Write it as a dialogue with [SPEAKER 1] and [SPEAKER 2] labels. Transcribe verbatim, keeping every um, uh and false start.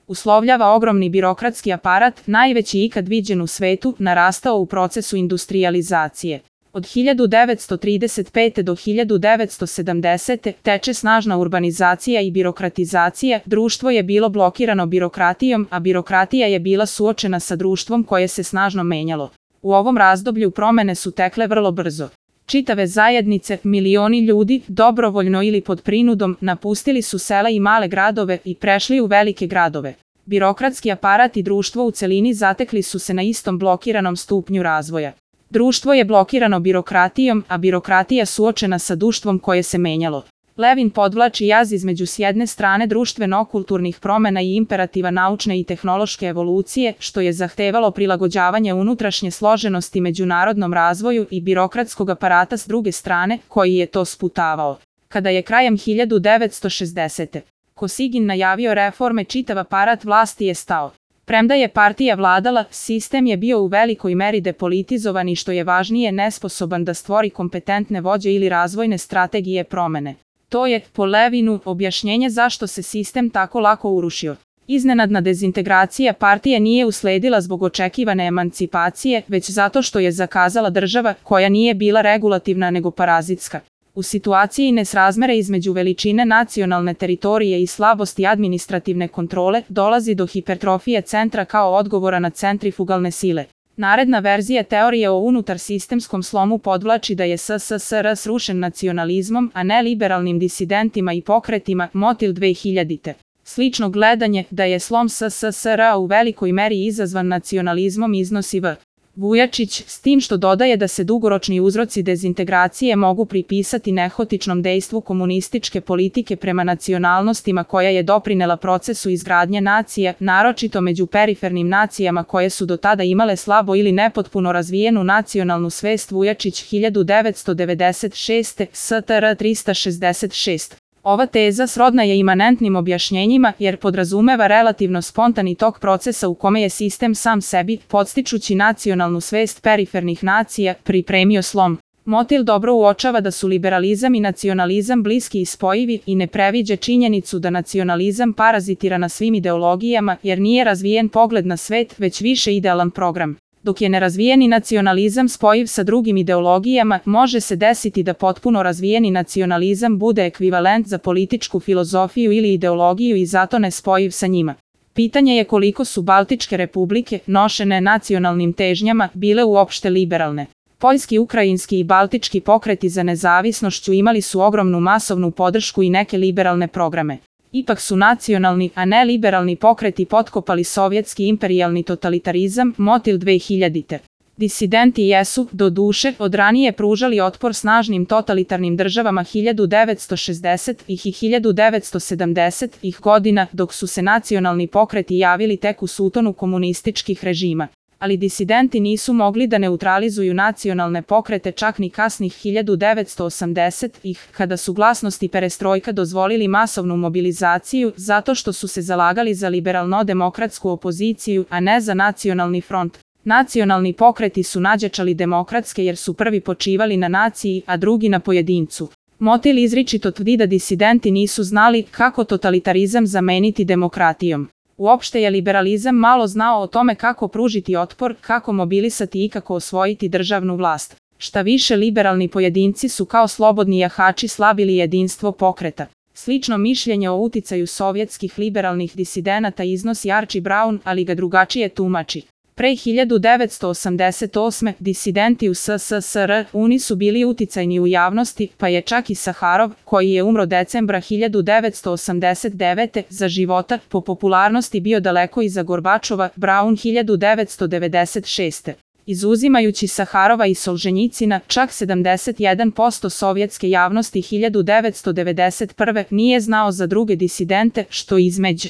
[SPEAKER 1] uslovljava ogromni birokratski aparat, najveći ikad viđen u svetu, narastao u procesu industrijalizacije. Od hiljadu devetsto trideset pete. do hiljadu devetsto sedamdesete. teče snažna urbanizacija i birokratizacija, društvo je bilo blokirano birokratijom, a birokratija je bila suočena sa društvom koje se snažno menjalo. U ovom razdoblju promene su tekle vrlo brzo. Čitave zajednice, milioni ljudi, dobrovoljno ili pod prinudom, napustili su sela i male gradove i prešli u velike gradove. Birokratski aparat i društvo u celini zatekli su se na istom blokiranom stupnju razvoja. Društvo je blokirano birokratijom, a birokratija suočena sa društvom koje se menjalo. Levin podvlači jaz između s jedne strane društveno-kulturnih promena i imperativa naučne i tehnološke evolucije, što je zahtevalo prilagođavanje unutrašnje složenosti međunarodnom razvoju i birokratskog aparata s druge strane, koji je to sputavao. Kada je krajem hiljadu devetsto šezdesete. Kosygin najavio reforme, čitav aparat vlasti je stao. Premda je partija vladala, sistem je bio u velikoj meri depolitizovan i što je važnije nesposoban da stvori kompetentne vođe ili razvojne strategije promene. To je, po Levinu, objašnjenje zašto se sistem tako lako urušio. Iznenadna dezintegracija partije nije usledila zbog očekivane emancipacije, već zato što je zakazala država koja nije bila regulativna nego parazitska. U situaciji nesrazmere između veličine nacionalne teritorije i slabosti administrativne kontrole dolazi do hipertrofije centra kao odgovora na centrifugalne sile. Naredna verzija teorije o unutar sistemskom slomu podvlači da je S S S R srušen nacionalizmom, a ne liberalnim disidentima i pokretima, Motil dve hiljadite. Slično gledanje da je slom S S S R u velikoj meri izazvan nacionalizmom iznosi V. Vujačić, s tim što dodaje da se dugoročni uzroci dezintegracije mogu pripisati nehotičnom dejstvu komunističke politike prema nacionalnostima koja je doprinela procesu izgradnje nacija, naročito među perifernim nacijama koje su do tada imale slabo ili nepotpuno razvijenu nacionalnu svest. Vujačić hiljadu devetsto devedeset šeste. S T R trista šezdeset šest. Ova teza srodna je imanentnim objašnjenjima jer podrazumeva relativno spontani tok procesa u kome je sistem sam sebi, podstičući nacionalnu svest perifernih nacija, pripremio slom. Motil dobro uočava da su liberalizam i nacionalizam bliski i spojivi i ne previđa činjenicu da nacionalizam parazitira na svim ideologijama jer nije razvijen pogled na svet, već više idealan program. Dok je nerazvijeni nacionalizam spojiv sa drugim ideologijama, može se desiti da potpuno razvijeni nacionalizam bude ekvivalent za političku filozofiju ili ideologiju i zato ne spojiv sa njima. Pitanje je koliko su Baltičke republike, nošene nacionalnim težnjama, bile uopšte liberalne. Poljski, ukrajinski i baltički pokreti za nezavisnošću imali su ogromnu masovnu podršku i neke liberalne programe. Ipak su nacionalni, a ne liberalni pokreti potkopali sovjetski imperijalni totalitarizam, Motil dve hiljadite. Disidenti jesu, do duše, od ranije pružali otpor snažnim totalitarnim državama hiljadu devetsto šezdesetih i hiljadu devetsto sedamdesetih godina, dok su se nacionalni pokreti javili tek u sutonu komunističkih režima. Ali disidenti nisu mogli da neutralizuju nacionalne pokrete čak ni kasnih hiljadu devetsto osamdesetih, kada su glasnost i perestrojka dozvolili masovnu mobilizaciju, zato što su se zalagali za liberalno-demokratsku opoziciju, a ne za nacionalni front. Nacionalni pokreti su nađačali demokratske jer su prvi počivali na naciji, a drugi na pojedincu. Motil izričito tvrdi da disidenti nisu znali kako totalitarizam zameniti demokratijom. Uopšte je liberalizam malo znao o tome kako pružiti otpor, kako mobilisati i kako osvojiti državnu vlast. Šta više, liberalni pojedinci su kao slobodni jahači slabili jedinstvo pokreta. Slično mišljenje o uticaju sovjetskih liberalnih disidenata iznosi Archie Brown, ali ga drugačije tumači. Pre hiljadu devetsto osamdeset osme. disidenti u S S S R U nisu bili uticajni u javnosti, pa je čak i Saharov, koji je umro decembra hiljadu devetsto osamdeset devete. za života, po popularnosti bio daleko iza Gorbačova, Brown hiljadu devetsto devedeset šeste. Izuzimajući Saharova i Solženjicina, čak sedamdeset jedan posto sovjetske javnosti hiljadu devetsto devedeset prve. nije znao za druge disidente, što između